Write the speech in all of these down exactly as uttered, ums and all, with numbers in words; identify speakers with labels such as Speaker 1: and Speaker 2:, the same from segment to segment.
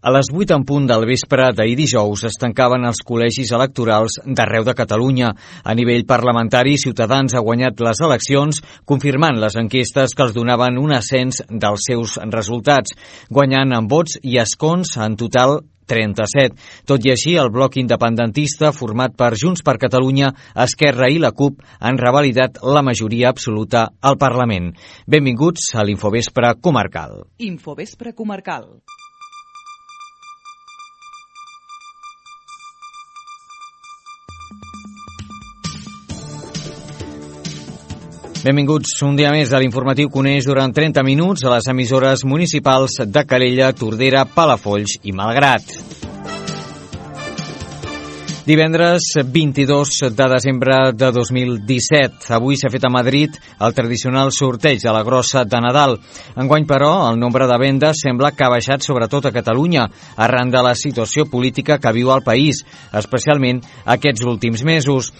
Speaker 1: A les vuit en punt del vespre d'ahir dijous es tancaven els col·legis electorals d'arreu de Catalunya. A nivell parlamentari, Ciutadans ha guanyat les eleccions, confirmant les enquestes que els donaven un ascens dels seus resultats, guanyant en vots i escons en total trenta-set. Tot i així, el bloc independentista, format per Junts per Catalunya, Esquerra i la CUP, han revalidat la majoria absoluta al Parlament. Benvinguts a l'Infovespre Comarcal.
Speaker 2: Infovespre Comarcal.
Speaker 1: Benvinguts un dia més a l'informatiu que uneix durant trenta minuts a les emissores municipals de Calella, Tordera, Palafolls i Malgrat. Divendres vint-i-dos de desembre de dos mil disset. Avui s'ha fet a Madrid el tradicional sorteig de la grossa de Nadal. Enguany, però, el nombre de vendes sembla que ha baixat sobretot a Catalunya, arran de la situació política que viu el país, especialment aquests últims mesos.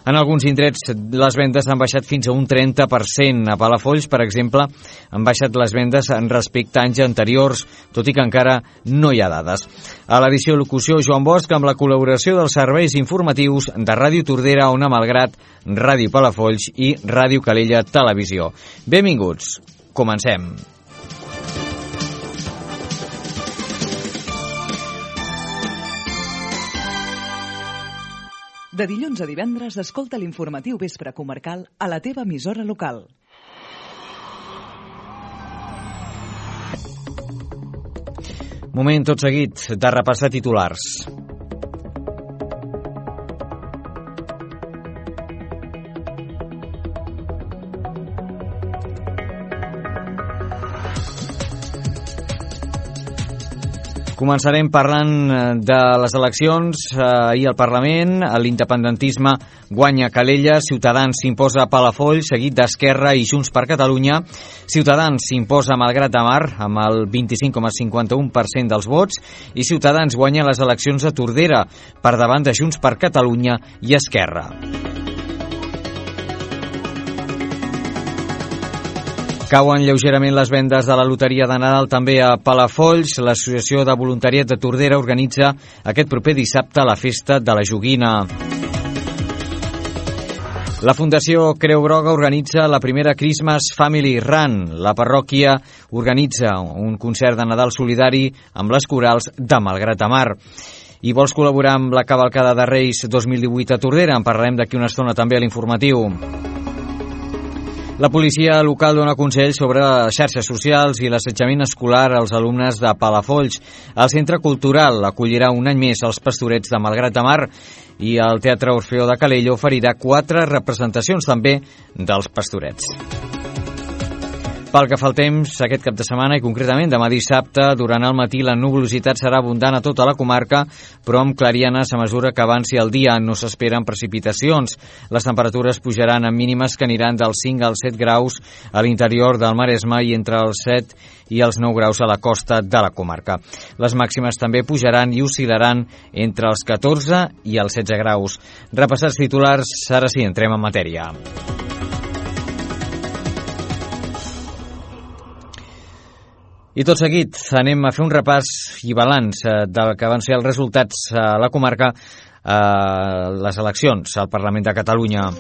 Speaker 1: En alguns indrets les vendes han baixat fins a un trenta per cent. A Palafolls, per exemple, han baixat les vendes en respecte a anys anteriors, tot i que encara no hi ha dades. A l'edició locució, Joan Bosch, amb la col·laboració dels serveis informatius de Ràdio Tordera, Ona Malgrat, Ràdio Palafolls i Ràdio Calella Televisió. Benvinguts. Comencem.
Speaker 2: De dilluns a divendres, escolta l'informatiu Vespre Comarcal a la teva emissora local.
Speaker 1: Moment tot seguit de repassar titulars. Començarem parlant de les eleccions ahir al Parlament. L'independentisme guanya Calella, Ciutadans s'imposa a Palafolls, seguit d'Esquerra i Junts per Catalunya. Ciutadans s'imposa a Malgrat de Mar amb el vint-i-cinc coma cinquanta-u per cent dels vots i Ciutadans guanya les eleccions a Tordera per davant de Junts per Catalunya i Esquerra. Cauen lleugerament les vendes de la loteria de Nadal també a Palafolls. L'Associació de Voluntariat de Tordera organitza aquest proper dissabte la festa de la joguina. La Fundació Creu Groga organitza la primera Christmas Family Run. La parròquia organitza un concert de Nadal solidari amb les corals de Malgrat de Mar. I vols col·laborar amb la cavalcada de Reis dos mil divuit a Tordera? En parlarem d'aquí una estona també a l'informatiu. La policia local dona consells sobre xarxes socials i l'assetjament escolar als alumnes de Palafolls. El Centre Cultural acollirà un any més els Pastorets de Malgrat de Mar i el Teatre Orfeó de Calella oferirà quatre representacions també dels Pastorets. Pel que fa al temps, aquest cap de setmana i concretament demà dissabte, durant el matí la nuvolositat serà abundant a tota la comarca, però amb clarianes a mesura que avanci el dia. No s'esperen precipitacions. Les temperatures pujaran a mínimes que aniran dels cinc als set graus a l'interior del Maresme i entre els set i els nou graus a la costa de la comarca. Les màximes també pujaran i oscil·laran entre els catorze i els setze graus. Repassats titulars, ara sí, entrem en matèria. I tot seguit anem a fer un repàs i balanç del que van ser els resultats a la comarca a les eleccions al Parlament de Catalunya.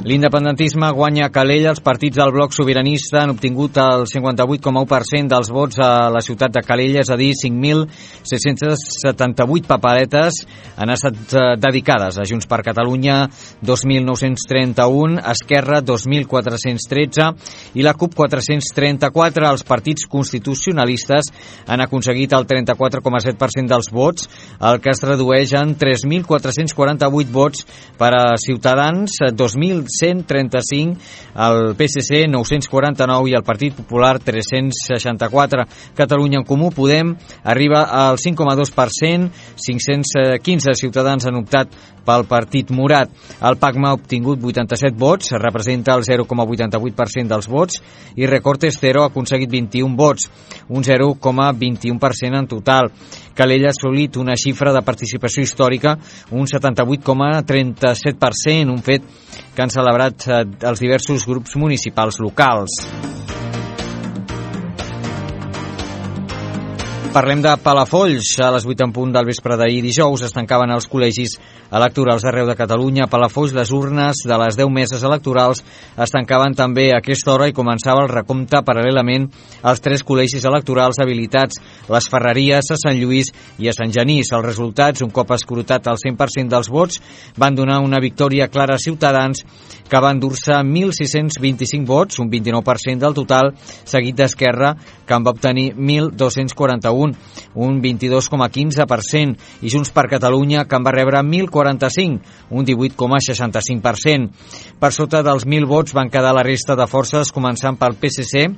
Speaker 1: L'independentisme guanya a Calella. Els partits del bloc sobiranista han obtingut el cinquanta-vuit coma u per cent dels vots a la ciutat de Calella, és a dir, cinc mil set-cents setanta-vuit paperetes han estat dedicades a Junts per Catalunya, dos mil nou-cents trenta-un, Esquerra, dos mil quatre-cents tretze i la CUP, quatre-cents trenta-quatre. Els partits constitucionalistes han aconseguit el trenta-quatre coma set per cent dels vots, el que es redueix en tres mil quatre-cents quaranta-vuit vots per a Ciutadans, dos mil cent trenta-cinc, el P S C nou-cents quaranta-nou i el Partit Popular tres-cents seixanta-quatre. Catalunya en Comú Podem arriba al cinc coma dos per cent, cinc-cents quinze ciutadans han optat pel Partit Morat. El PACMA ha obtingut vuitanta-set vots, representa el zero coma vuitanta-vuit per cent dels vots, i Recortes Cero ha aconseguit vint-i-un vots, un zero coma vint-i-un per cent en total. Calella ha assolit una xifra de participació històrica, un setanta-vuit coma trenta-set per cent, un fet que han celebrat els diversos grups municipals locals. Parlem de Palafolls. A les vuit en punt del vespre d'ahir dijous es tancaven els col·legis electorals d'arreu de Catalunya. A Palafolls, les urnes de les deu meses electorals es tancaven també a aquesta hora i començava el recompte paral·lelament als tres col·legis electorals habilitats, les Ferreries, a Sant Lluís i a Sant Genís. Els resultats, un cop escrutat el cent per cent dels vots, van donar una victòria clara a Ciutadans, que va endur-se mil sis-cents vint-i-cinc vots, un vint-i-nou per cent del total, seguit d'Esquerra, que en va obtenir mil dos-cents quaranta-un, un vint-i-dos coma quinze per cent, i Junts per Catalunya, que en va rebre mil quaranta-cinc, un divuit coma seixanta-cinc per cent. Per sota dels mil vots van quedar la resta de forces, començant pel P S C,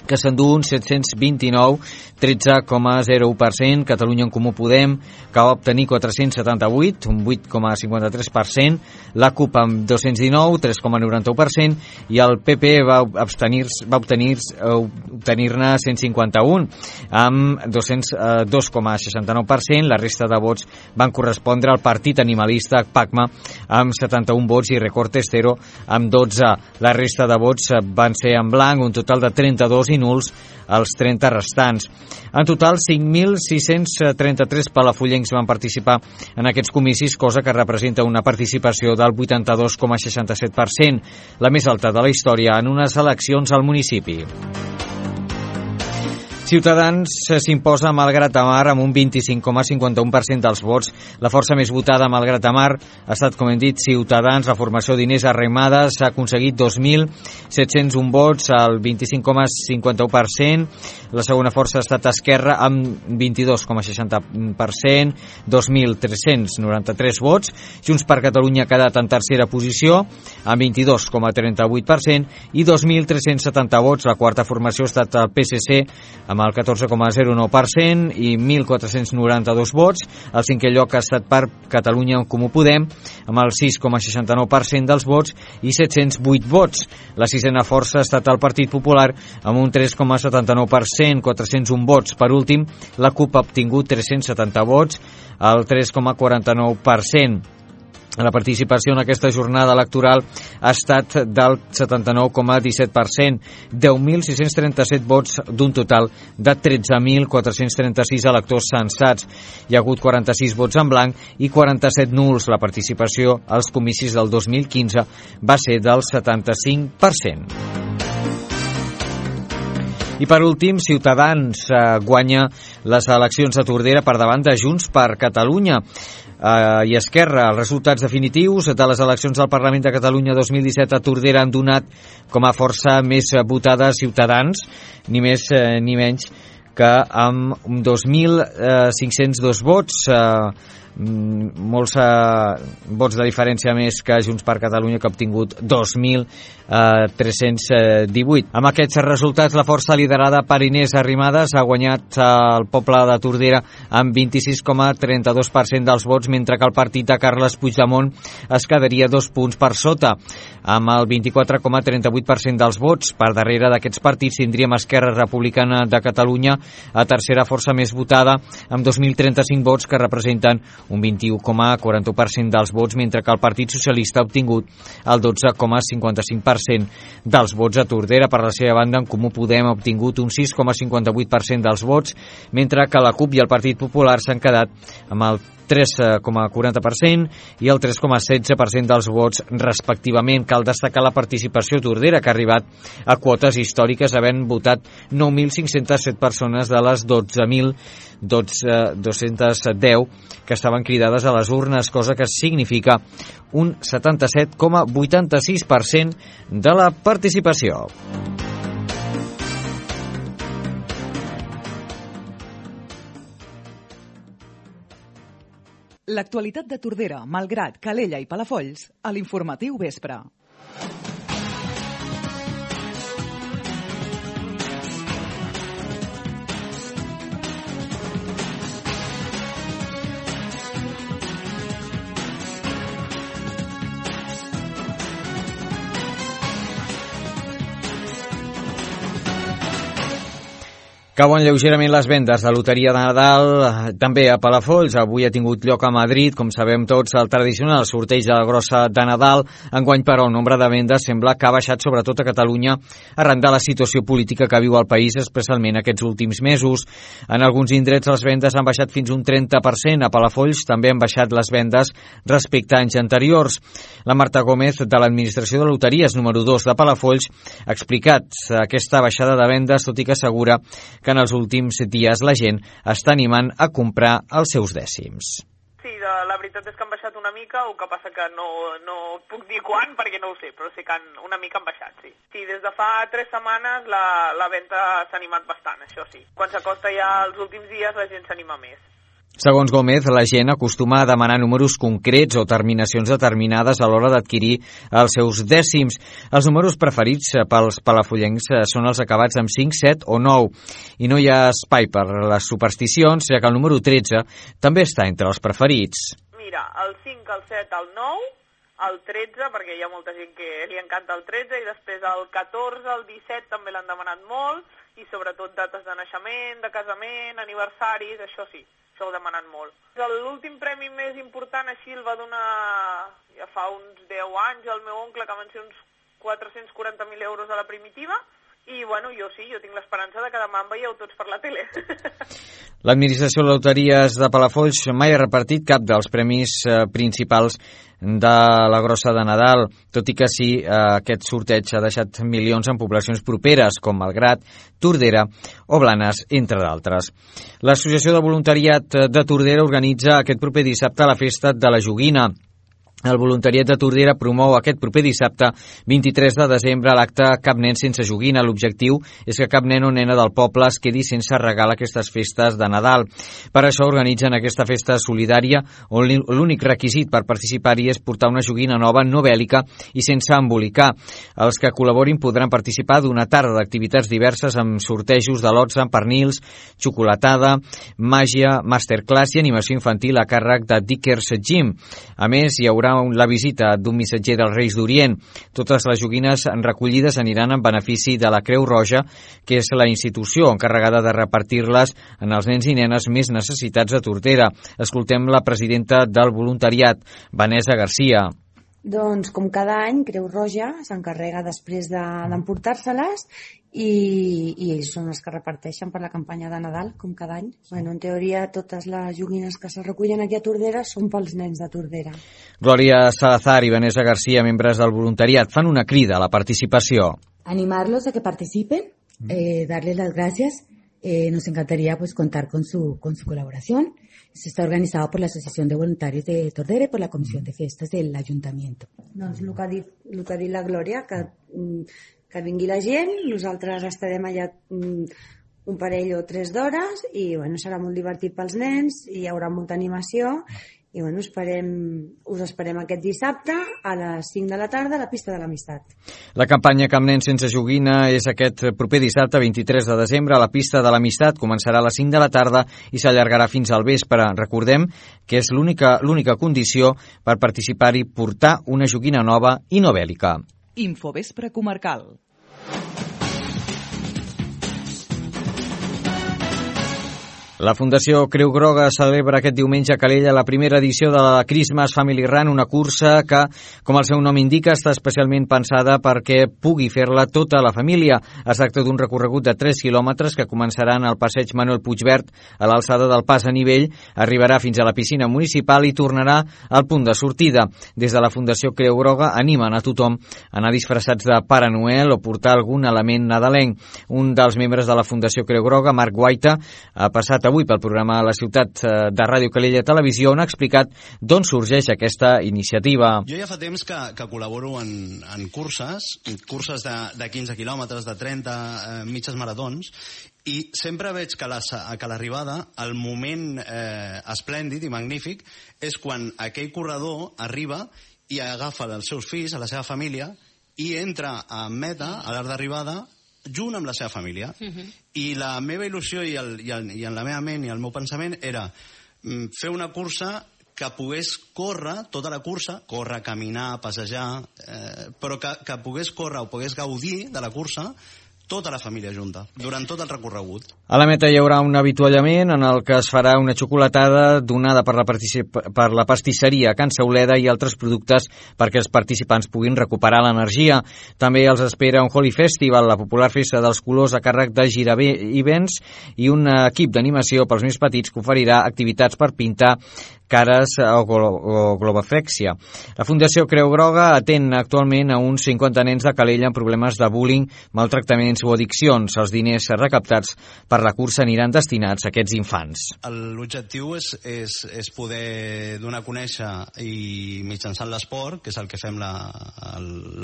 Speaker 1: que s'endú un set-cents vint-i-nou, tretze coma zero u per cent, Catalunya en Comú Podem, que va obtenir quatre-cents setanta-vuit, un vuit coma cinquanta-tres per cent, la CUP amb dos-cents dinou, tres coma noranta-u per cent, i el P P va obtenir-ne va obtenir, obtenir cent cinquanta-un, amb dos coma seixanta-nou per cent. La resta de vots van correspondre al Partit Animalista, PACMA, amb setanta-un vots, i Recortes Cero amb dotze. La resta de vots van ser en blanc, un total de trenta-dos, i nuls els trenta restants. En total, cinc mil sis-cents trenta-tres palafollencs van participar en aquests comicis, cosa que representa una participació del vuitanta-dos coma seixanta-set per cent, la més alta de la història en unes eleccions al municipi. Ciutadans s'imposa Malgrat de Mar amb un vint-i-cinc coma cinquanta-u per cent dels vots. La força més votada a Malgrat de Mar ha estat, com hem dit, Ciutadans. La formació d'Inés Arrimadas ha aconseguit dos mil set-cents un vots, al vint-i-cinc coma cinquanta-u per cent. La segona força ha estat Esquerra amb vint-i-dos coma seixanta per cent, dos mil tres-cents noranta-tres vots. Junts per Catalunya ha quedat en tercera posició amb vint-i-dos coma trenta-vuit per cent i dos mil tres-cents setanta vots. La quarta formació ha estat el P S C amb el catorze coma zero nou per cent i mil quatre-cents noranta-dos vots. El cinquè lloc ha estat per Catalunya en Comú Podem amb el sis coma seixanta-nou per cent dels vots i set-cents vuit vots. La sisena força ha estat el Partit Popular amb un tres coma setanta-nou per cent, quatre-cents un vots. Per últim, la CUP ha obtingut tres-cents setanta vots, el tres coma quaranta-nou per cent. La participació en aquesta jornada electoral ha estat del setanta-nou coma disset per cent, deu mil sis-cents trenta-set vots d'un total de tretze mil quatre-cents trenta-sis electors censats. Hi ha hagut quaranta-sis vots en blanc i quaranta-set nuls. La participació als comicis del dos mil quinze va ser del setanta-cinc per cent. I per últim, Ciutadans eh, guanya les eleccions a Tordera per davant de Junts per Catalunya eh, i Esquerra. Els resultats definitius de les eleccions al Parlament de Catalunya dos mil disset a Tordera han donat com a força més votada Ciutadans, ni més eh, ni menys que amb dos mil cinc-cents dos vots, eh, molts eh, vots de diferència més que Junts per Catalunya, que ha obtingut dos mil tres-cents divuit. Amb aquests resultats, la força liderada per Inés Arrimadas ha guanyat el poble de Tordera amb vint-i-sis coma trenta-dos per cent dels vots, mentre que el partit de Carles Puigdemont es quedaria dos punts per sota, amb el vint-i-quatre coma trenta-vuit per cent dels vots. Per darrere d'aquests partits tindríem Esquerra Republicana de Catalunya, a tercera força més votada, amb dos mil trenta-cinc vots, que representen un vint-i-u coma quaranta-u per cent dels vots, mentre que el Partit Socialista ha obtingut el dotze coma cinquanta-cinc per cent dels vots a Tordera. Per la seva banda, en Comú Podem ha obtingut un sis coma cinquanta-vuit per cent dels vots, mentre que la CUP i el Partit Popular s'han quedat amb el tres coma quaranta per cent i el tres coma setze per cent dels vots respectivament. Cal destacar la participació a Tordera, que ha arribat a quotes històriques, havent votat nou mil cinc-cents set persones de les dotze mil dos-cents deu que estaven cridades a les urnes, cosa que significa un setanta-set coma vuitanta-sis per cent de la participació.
Speaker 2: L'actualitat de Tordera, Malgrat, Calella i Palafolls a l'Informatiu Vespre.
Speaker 1: Cauen lleugerament les vendes de loteria de Nadal, també a Palafolls. Avui ha tingut lloc a Madrid, com sabem tots, el tradicional sorteig de la grossa de Nadal. Enguany, però, el nombre de vendes sembla que ha baixat sobretot a Catalunya arran de la situació política que viu el país, especialment aquests últims mesos. En alguns indrets les vendes han baixat fins un trenta per cent. A Palafolls també han baixat les vendes respecte a anys anteriors. La Marta Gómez, de l'Administració de Loteries número dos de Palafolls, ha explicat aquesta baixada de vendes, tot i que assegura que en els últims dies la gent està animant a comprar els seus dècims.
Speaker 3: Sí, la veritat és que han baixat una mica, el que passa que no, no puc dir quan perquè no ho sé, però sé que han, una mica han baixat, sí. Sí, des de fa tres setmanes la, la venda s'ha animat bastant, això sí. Quan s'acosta ja els últims dies la gent s'anima més.
Speaker 1: Segons Gómez, la gent acostuma a demanar números concrets o terminacions determinades a l'hora d'adquirir els seus dècims. Els números preferits pels palafollencs són els acabats amb cinc, set o nou. I no hi ha espai per les supersticions, ja que el número tretze també està entre els preferits.
Speaker 3: Mira, el cinc, el set, el nou, el tretze, perquè hi ha molta gent que li encanta el tretze, i després el catorze, el disset també l'han demanat molt, i sobretot dates de naixement, de casament, aniversaris, això sí. Això ho demanen molt. L'últim premi més important així el va donar ja fa uns deu anys el meu oncle, que van ser uns quatre-cents quaranta mil euros a la primitiva, i bueno, jo sí, jo tinc l'esperança de que demà em veieu tots per la tele.
Speaker 1: L'Administració de Loteries de Palafolls mai ha repartit cap dels premis eh, principals de la grossa de Nadal, tot i que sí, eh, aquest sorteig ha deixat milions en poblacions properes, com Malgrat, Tordera o Blanes, entre d'altres. L'Associació de Voluntariat de Tordera organitza aquest proper dissabte la festa de la joguina. El voluntariat de Tordera promou aquest proper dissabte, vint-i-tres de desembre, l'acte Cap nen sense joguina. L'objectiu és que cap nen o nena del poble es quedi sense regal aquestes festes de Nadal. Per això organitzen aquesta festa solidària, on l'únic requisit per participar-hi és portar una joguina nova, no bèl·lica i sense embolicar. Els que col·laborin podran participar d'una tarda d'activitats diverses amb sortejos de lots amb pernils, xocolatada, màgia, masterclass i animació infantil a càrrec de Dickers Gym. A més, hi haurà la visita d'un missatger dels Reis d'Orient. Totes les joguines recollides aniran en benefici de la Creu Roja, que és la institució encarregada de repartir-les en els nens i nenes més necessitats de Tordera. Escoltem la presidenta del voluntariat, Vanessa Garcia.
Speaker 4: Doncs, com cada any, Creu Roja s'encarrega després d'emportar-se-les i, i ells són els que reparteixen per la campanya de Nadal, com cada any. Bueno, en teoria, totes les joguines que se recullen aquí a Tordera són pels nens de Tordera.
Speaker 1: Glòria Salazar i Vanessa Garcia, membres del voluntariat, fan una crida a la participació.
Speaker 5: Animarlos a que participen, eh, darles las gracias. Eh, nos encantaría pues contar con su, con su colaboración. Esto está organizado por la Asociación de Voluntarios de Tordera y por la Comisión de Festes del Ayuntamiento.
Speaker 4: Doncs el que ha dit, el que ha dit la Glòria, que, que vingui la gent, nosaltres estarem allà un parell o tres d'hores i bueno, serà molt divertit pels nens i hi haurà molta animació i bueno, esperem, us esperem aquest dissabte a les cinc de la tarda a la pista de l'Amistat.
Speaker 1: La campanya Cap nen sense joguina és aquest proper dissabte, vint-i-tres de desembre, a la pista de l'Amistat. Començarà a les cinc de la tarda i s'allargarà fins al vespre. Recordem que és l'única l'única condició per participar-hi portar una joguina nova i no bèl·lica.
Speaker 2: Infovespre comarcal.
Speaker 1: La Fundació Creu Groga celebra aquest diumenge a Calella la primera edició de la Christmas Family Run, una cursa que, com el seu nom indica, està especialment pensada perquè pugui fer-la tota la família. Es tracta d'un recorregut de tres quilòmetres que començaran al passeig Manuel Puigverd a l'alçada del pas a nivell, arribarà fins a la piscina municipal i tornarà al punt de sortida. Des de la Fundació Creu Groga animen a tothom a anar disfressats de Pare Noel o portar algun element nadalenc. Un dels membres de la Fundació Creu Groga, Marc Guaita, ha passat avui pel programa La Ciutat de Ràdio Calella Televisió, on ha explicat d'on sorgeix aquesta iniciativa.
Speaker 6: Jo ja fa temps que, que col·laboro en, en curses, curses de, de quinze quilòmetres, de trenta, eh, mitges maratons, i sempre veig que, la, que l'arribada, el moment eh, esplèndid i magnífic, és quan aquell corredor arriba i agafa els seus fills, a la seva família, i entra a meta, a l'art d'arribada, junt amb la seva família. Uh-huh. I la meva il·lusió i, el, i, el, i en la meva ment i el meu pensament era mm, fer una cursa que pogués córrer tota la cursa, córrer, caminar, passejar, eh, però que, que pogués córrer o pogués gaudir de la cursa tota la família junta, durant tot el recorregut.
Speaker 1: A la meta hi haurà un avituallament en el que es farà una xocolatada donada per la, per la pastisseria Can Sauleda i altres productes perquè els participants puguin recuperar l'energia. També els espera un Holy Festival, la popular festa dels colors a càrrec de Girabé Events, i un equip d'animació pels més petits que oferirà activitats per pintar cares o, o globoflexia. La Fundació Creu Groga atén actualment a uns cinquanta nens de Calella amb problemes de bullying, maltractaments o addiccions. Els diners recaptats per la cursa aniran destinats a aquests infants.
Speaker 6: L'objectiu és, és, és poder donar a conèixer i mitjançant l'esport, que és el que fem la,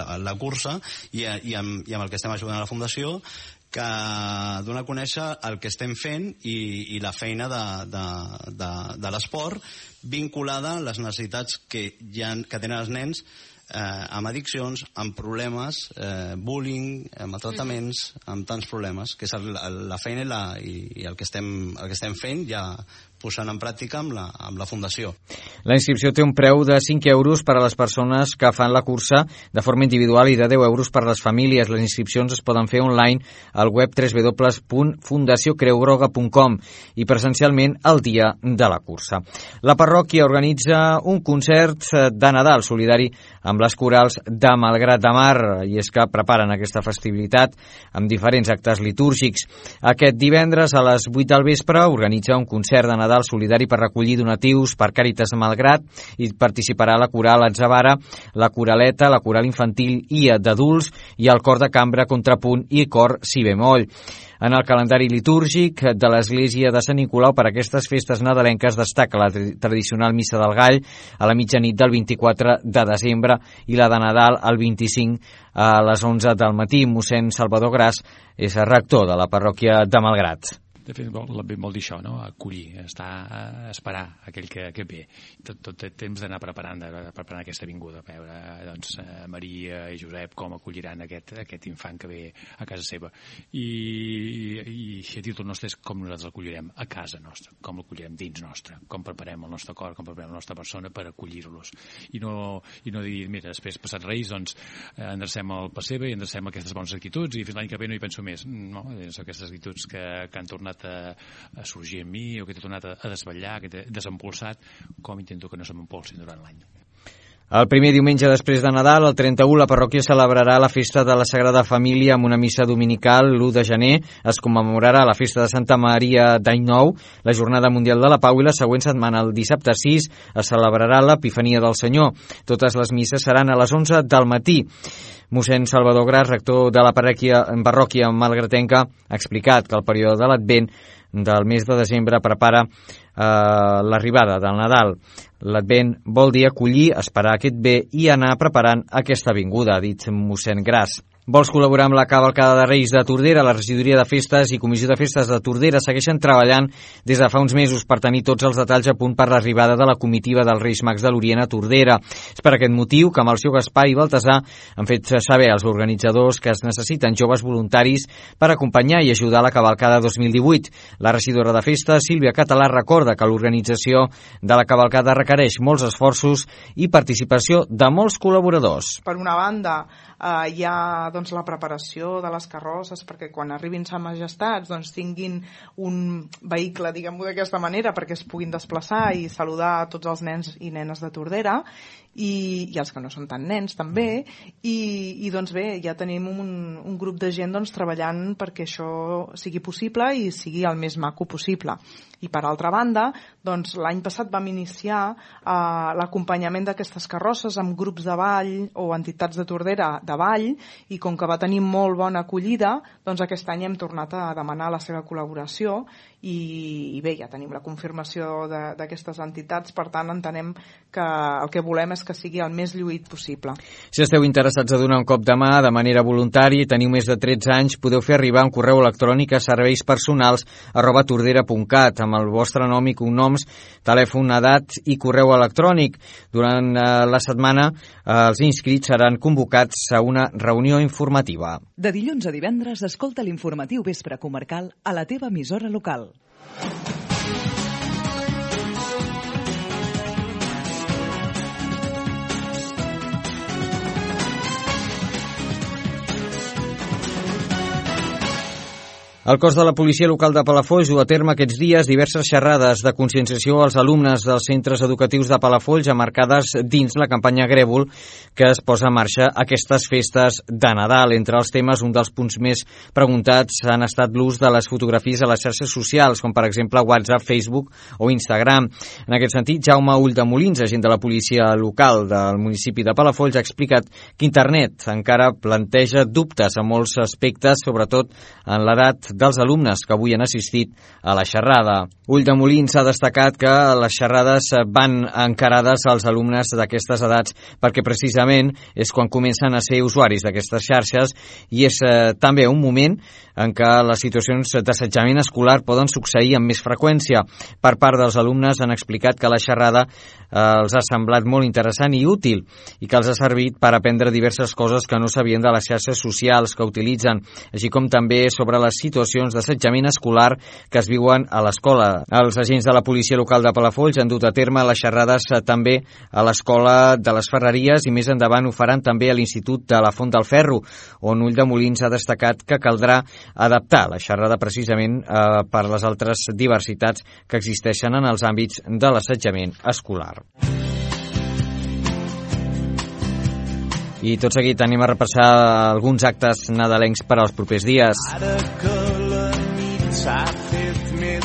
Speaker 6: la, la cursa, i, i, amb, i amb el que estem ajudant a la Fundació, que donar a conèixer el que estem fent i, i la feina de, de, de, de l'esport vinculada a les necessitats que, ha, que tenen els nens eh, amb addiccions, amb problemes, eh, bullying, amb maltractaments, amb tants problemes, que és el, la feina i, la, i, i el, que estem, el que estem fent ja posant en pràctica amb la, amb la Fundació.
Speaker 1: La inscripció té un preu de cinc euros per a les persones que fan la cursa de forma individual i de deu euros per a les famílies. Les inscripcions es poden fer online al web w w w punt fundació creu groga punt com i presencialment el dia de la cursa. La parròquia organitza un concert de Nadal solidari amb les corals de Malgrat de Mar, i és que preparen aquesta festivitat amb diferents actes litúrgics. Aquest divendres a les vuit del vespre organitza un concert de Nadal solidari per recollir donatius per Càritas Malgrat i participarà la coral Atzavara, la coraleta, la coral infantil i d'adults i el cor de cambra Contrapunt i cor si bemoll. En el calendari litúrgic de l'Església de Sant Nicolau per a aquestes festes nadalenques destaca la tradicional Missa del Gall a la mitjanit del vint-i-quatre de desembre i la de Nadal el vint-i-cinc a les onze del matí. Mossèn Salvador Gras és el rector de la parròquia de Malgrat.
Speaker 7: De fet, vol, vol dir això, no? Acollir, estar a esperar aquell que, que ve. Tot, tot té temps d'anar preparant, de, preparant aquesta vinguda, a veure doncs, Maria i Josep com acolliran aquest, aquest infant que ve a casa seva. I, i, i a títol nostre és com nosaltres l'acollirem a casa nostra, com l'acollirem dins nostre, com preparem el nostre cor, com preparem la nostra persona per acollir-los. I no, i no dir, mira, després passat Reis, doncs endrecem el pessebre i endrecem aquestes bones actituds i fins l'any que ve no hi penso més. No, són aquestes actituds que, que han tornat A, a sorgir en mi o que t'he tornat a, a desvetllar, que t'he desempolsat, com intento que no se m'empolsin durant l'any.
Speaker 1: El primer diumenge després de Nadal, el trenta-u, la parròquia celebrarà la festa de la Sagrada Família amb una missa dominical. L'u de gener es commemorarà la festa de Santa Maria d'Any Nou, la Jornada Mundial de la Pau, i la següent setmana, el dissabte sis, es celebrarà l'Epifania del Senyor. Totes les misses seran a les onze del matí. Mossèn Salvador Gras, rector de la parròquia, parròquia malgratenca, ha explicat que el període de l'Advent del mes de desembre prepara eh, l'arribada del Nadal. L'Advent vol dir acollir, esperar aquest bé i anar preparant aquesta vinguda, ha dit mossèn Gras. Vols col·laborar amb la cavalcada de Reis de Tordera? La regidoria de festes i comissió de festes de Tordera segueixen treballant des de fa uns mesos per tenir tots els detalls a punt per l'arribada de la comitiva dels Reis Mags de l'Orient a Tordera. És per aquest motiu que Melcior Gaspar i Baltasar han fet saber als organitzadors que es necessiten joves voluntaris per acompanyar i ajudar la cavalcada dos mil divuit. La regidora de festes, Sílvia Català, recorda que l'organització de la cavalcada requereix molts esforços i participació de molts col·laboradors.
Speaker 8: Per una banda, eh, hi ha doncs, la preparació de les carrosses perquè quan arribin Sa Majestats doncs, tinguin un vehicle, diguem-ho d'aquesta manera, perquè es puguin desplaçar i saludar a tots els nens i nenes de Tordera i, i els que no són tan nens també, i, i doncs bé, ja tenim un, un grup de gent doncs, treballant perquè això sigui possible i sigui el més maco possible. I per altra banda, doncs, l'any passat vam iniciar eh, l'acompanyament d'aquestes carrosses amb grups de ball o entitats de Tordera de ball, i com que va tenir molt bona acollida, doncs aquest any hem tornat a demanar la seva col·laboració i, i bé, ja tenim la confirmació d'aquestes entitats, per tant entenem que el que volem és que sigui el més lluït possible.
Speaker 1: Si esteu interessats a donar un cop de mà de manera voluntària i teniu més de tretze anys, podeu fer arribar un correu electrònic a serveispersonals arroba tordera punt cat amb el vostre nom i cognoms, telèfon, edat i correu electrònic. Durant eh, la setmana eh, els inscrits seran convocats a una reunió informativa.
Speaker 2: De dilluns a divendres, escolta l'informatiu Vespre Comarcal a la teva emissora local.
Speaker 1: El cos de la policia local de Palafolls du a terme aquests dies diverses xerrades de conscienciació als alumnes dels centres educatius de Palafolls emmarcades dins la campanya Grèvol que es posa en marxa aquestes festes de Nadal. Entre els temes, un dels punts més preguntats han estat l'ús de les fotografies a les xarxes socials, com per exemple WhatsApp, Facebook o Instagram. En aquest sentit, Jaume Ulldemolins, agent de la policia local del municipi de Palafolls, ha explicat que internet encara planteja dubtes a molts aspectes, sobretot en l'edat dels alumnes que avui han assistit a la xerrada. Ulldemolins ha destacat que les xerrades van encarades als alumnes d'aquestes edats perquè precisament és quan comencen a ser usuaris d'aquestes xarxes i és eh, també un moment en què les situacions d'assetjament escolar poden succeir amb més freqüència. Per part dels alumnes han explicat que la xerrada eh, els ha semblat molt interessant i útil i que els ha servit per aprendre diverses coses que no sabien de les xarxes socials que utilitzen, així com també sobre les situacions d'assetjament escolar que es viuen a l'escola. Els agents de la policia local de Palafolls han dut a terme les xerrades també a l'escola de les Ferreries i més endavant ho faran també a l'Institut de la Font del Ferro, on Ulldemolins ha destacat que caldrà adaptar la xerrada precisament eh, per les altres diversitats que existeixen en els àmbits de l'assetjament escolar. I tot seguit anem a repassar alguns actes nadalencs per als propers dies.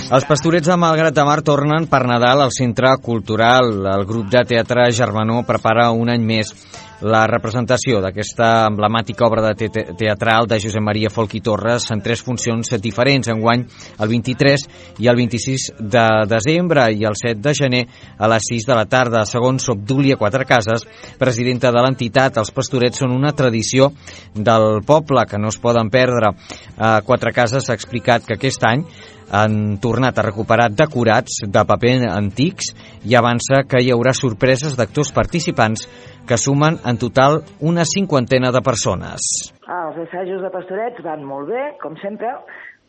Speaker 1: Els Pastorets de Malgrat de Mar tornen per Nadal al Centre Cultural. El grup de teatre Germanó prepara un any més la representació d'aquesta emblemàtica obra de te teatral de Josep Maria Folch i Torres en tres funcions diferents, enguany el vint-i-tres i el vint-i-sis de desembre i el set de gener a les sis de la tarda. Segons Obdúlia Quatrecases, presidenta de l'entitat, els Pastorets són una tradició del poble que no es poden perdre. Eh, Quatrecases ha explicat que aquest any han tornat a recuperar decorats de paper antics i avança que hi haurà sorpreses d'actors participants que sumen en total una cinquantena de persones.
Speaker 9: Ah, els assajos de Pastorets van molt bé, com sempre.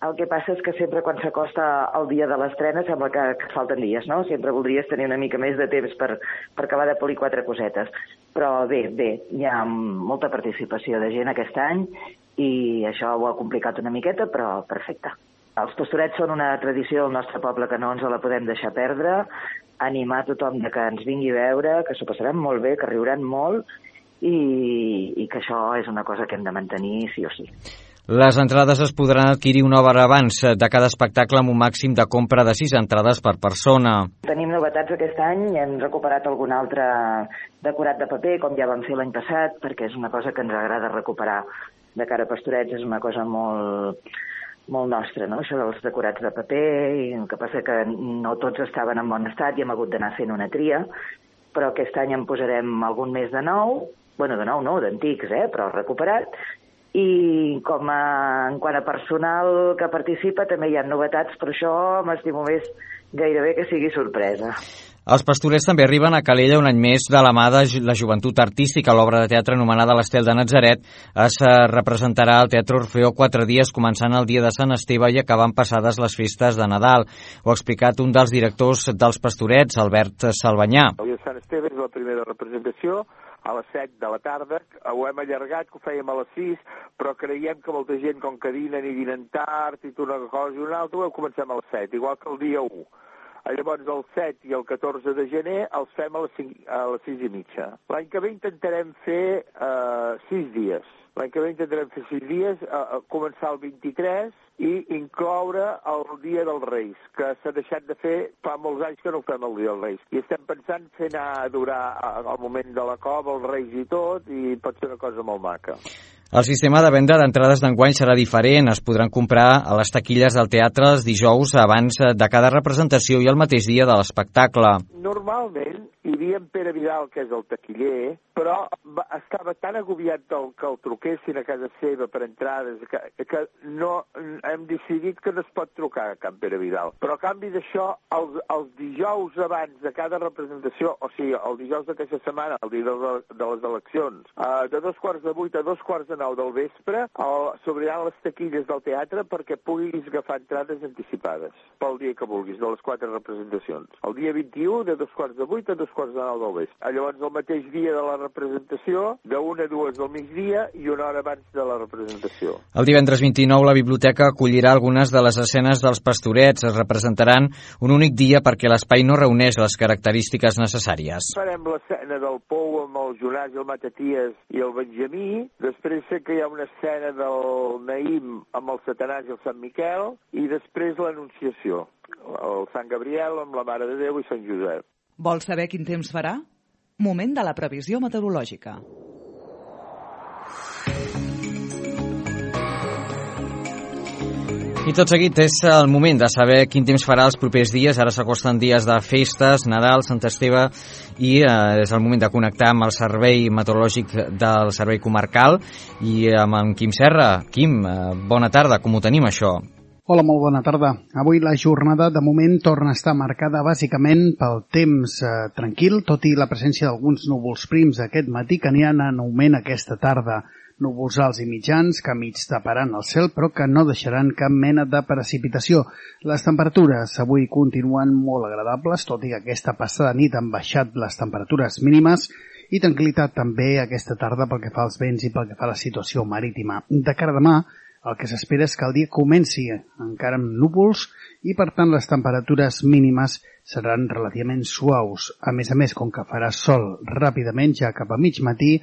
Speaker 9: El que passa és que sempre quan s'acosta el dia de l'estrena sembla que, que falten dies, no? Sempre voldries tenir una mica més de temps per, per acabar de polir quatre cosetes. Però bé, bé, hi ha molta participació de gent aquest any i això ho ha complicat una miqueta, però perfecte. Els Pastorets són una tradició del nostre poble que no ens la podem deixar perdre, animar tothom de que ens vingui a veure, que s'ho passaran molt bé, que riuran molt i, i que això és una cosa que hem de mantenir sí o sí.
Speaker 1: Les entrades es podran adquirir una hora abans de cada espectacle amb un màxim de compra de sis entrades per persona.
Speaker 9: Tenim novetats aquest any, hem recuperat algun altre decorat de paper, com ja vam fer l'any passat, perquè és una cosa que ens agrada recuperar de cara a Pastorets, és una cosa molt... molt nostre, no? Això dels decorats de paper, i el que passa que no tots estaven en bon estat i hem hagut d'anar fent una tria, però aquest any en posarem algun més de nou, bueno, de nou no, d'antics, eh, però recuperat, i com a, en quant a personal que participa també hi ha novetats, però això m'estimo més gairebé que sigui sorpresa.
Speaker 1: Els Pastorets també arriben a Calella un any més de la mà de la joventut artística. L'obra de teatre anomenada l'Estel de Natzaret es representarà al Teatre Orfeó quatre dies, començant el dia de Sant Esteve i acabant passades les festes de Nadal. Ho ha explicat un dels directors dels Pastorets, Albert Salvanyà.
Speaker 10: El dia de Sant Esteve és la primera representació, a les set de la tarda. Ho hem allargat, que ho fèiem a les sis, però creiem que molta gent, com que dinen i dinen tard i una cosa i una altra, ho comencem a les set, igual que el dia u. Llavors el set i el catorze de gener els fem a les, cinc, a les sis i mitja. L'any que ve intentarem fer uh, sis dies. L'any que ve intentarem fer sis dies, uh, començar el vint-i-tres i incloure el Dia dels Reis, que s'ha deixat de fer fa molts anys que no ho fem el Dia dels Reis. I estem pensant fer anar a durar al moment de la cova, els Reis i tot, i pot ser una cosa molt maca.
Speaker 1: El sistema de venda d'entrades d'enguany serà diferent. Es podran comprar a les taquilles del teatre els dijous abans de cada representació i el mateix dia de l'espectacle.
Speaker 10: Normalment hi havia en Pere Vidal, que és el taquiller, però va, estava tan agobiat del, que el truquessin a casa seva per entrades que, que no, hem decidit que no es pot trucar a Can Pere Vidal. Però a canvi d'això, els, els dijous abans de cada representació, o sigui, el dijous d'aquesta setmana, el dia de, de les eleccions, uh, de dos quarts de vuit a dos quarts de nou del vespre, s'obriran les taquilles del teatre perquè puguis agafar entrades anticipades pel dia que vulguis, de les quatre representacions. El dia vint-i-u, de dos quarts de vuit a dos quarts de nou del vespre. Llavors, el mateix dia de la representació, d'una a dues del migdia i una hora abans de la representació.
Speaker 1: El divendres vint-i-nou la biblioteca acollirà algunes de les escenes dels Pastorets. Es representaran un únic dia perquè l'espai no reuneix les característiques necessàries.
Speaker 10: Farem l'escena del Pou amb el Jonàs, el Mataties i el Benjamí. Després sé que hi ha una escena del Naïm amb el Satanàs i el Sant Miquel. I després l'Anunciació, el Sant Gabriel amb la Mare de Déu i Sant Josep.
Speaker 2: Vols saber quin temps farà? Moment de la previsió meteorològica.
Speaker 1: I tot seguit és el moment de saber quin temps farà els propers dies. Ara s'acosten dies de festes, Nadal, Sant Esteve, i eh, és el moment de connectar amb el servei meteorològic del servei comarcal i amb en Quim Serra. Quim, eh, bona tarda, com ho tenim això?
Speaker 11: Hola, molt bona tarda. Avui la jornada de moment torna a estar marcada bàsicament pel temps eh, tranquil, tot i la presència d'alguns núvols prims aquest matí que aniran en augment aquesta tarda. Núvols alts i mitjans que mig taparan el cel però que no deixaran cap mena de precipitació. Les temperatures avui continuen molt agradables, tot i que aquesta passada nit han baixat les temperatures mínimes i tranquil·litat també aquesta tarda pel que fa als vents i pel que fa a la situació marítima. De cara a demà, el que s'espera és que el dia comenci encara amb núvols i per tant les temperatures mínimes seran relativament suaus. A més a més, com que farà sol ràpidament ja cap a mig matí,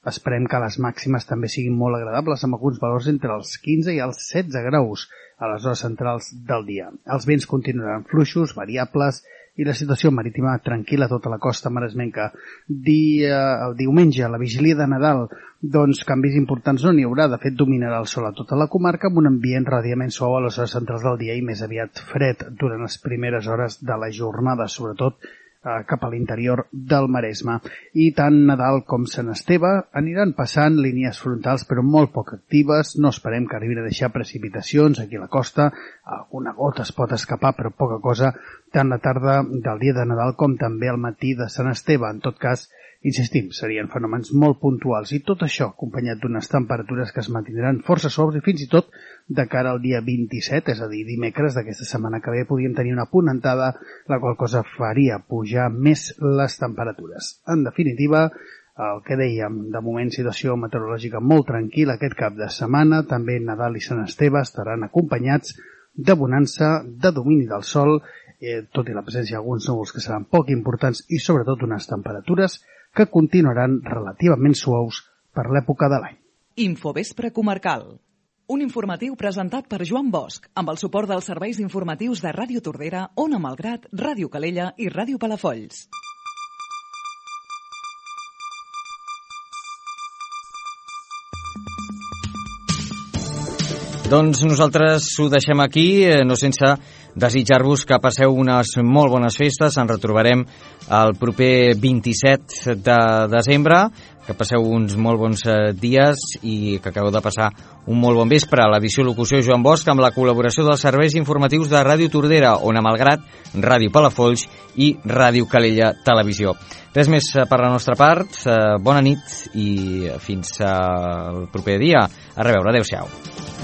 Speaker 11: esperem que les màximes també siguin molt agradables amb alguns valors entre els quinze i els setze graus a les hores centrals del dia. Els vents continuaran fluixos, variables i la situació marítima tranquil·la a tota la costa maresmenca. Dia, el diumenge, la vigília de Nadal, doncs canvis importants no n'hi haurà. De fet, dominarà el sol a tota la comarca amb un ambient relativament suau a les hores centrals del dia i més aviat fred durant les primeres hores de la jornada, sobretot cap a l'interior del Maresme. I tant Nadal com Sant Esteve aniran passant línies frontals però molt poc actives. No esperem que arribin a deixar precipitacions aquí a la costa. Alguna gota es pot escapar però poca cosa tant la tarda del dia de Nadal com també al matí de Sant Esteve. En tot cas, insistim, serien fenòmens molt puntuals i tot això acompanyat d'unes temperatures que es mantindran força suaus i fins i tot de cara al dia vint-i-set, és a dir, dimecres d'aquesta setmana que ve, podríem tenir una ponentada, la qual cosa faria pujar més les temperatures. En definitiva, el que dèiem, de moment situació meteorològica molt tranquil·la aquest cap de setmana, també Nadal i Sant Esteve estaran acompanyats de bonança, de domini del sol, eh, tot i la presència d'alguns núvols que seran poc importants i sobretot unes temperatures que continuaran relativament suaus per l'època de l'any.
Speaker 2: Infovespre comarcal. Un informatiu presentat per Joan Bosch, amb el suport dels serveis informatius de Ràdio Tordera, Ona Malgrat, Ràdio Calella i Ràdio Palafolls.
Speaker 1: Doncs nosaltres ho deixem aquí, no sense desitjar-vos que passeu unes molt bones festes. Ens retrobarem el proper vint-i-set de desembre. Que passeu uns molt bons dies i que acabeu de passar un molt bon vespre. L'edició locució Joan Bosch amb la col·laboració dels serveis informatius de Ràdio Tordera, Ona Malgrat, Ràdio Palafolls i Ràdio Calella Televisió. Res més per la nostra part. Bona nit i fins al proper dia. A reveure. Adéu-siau.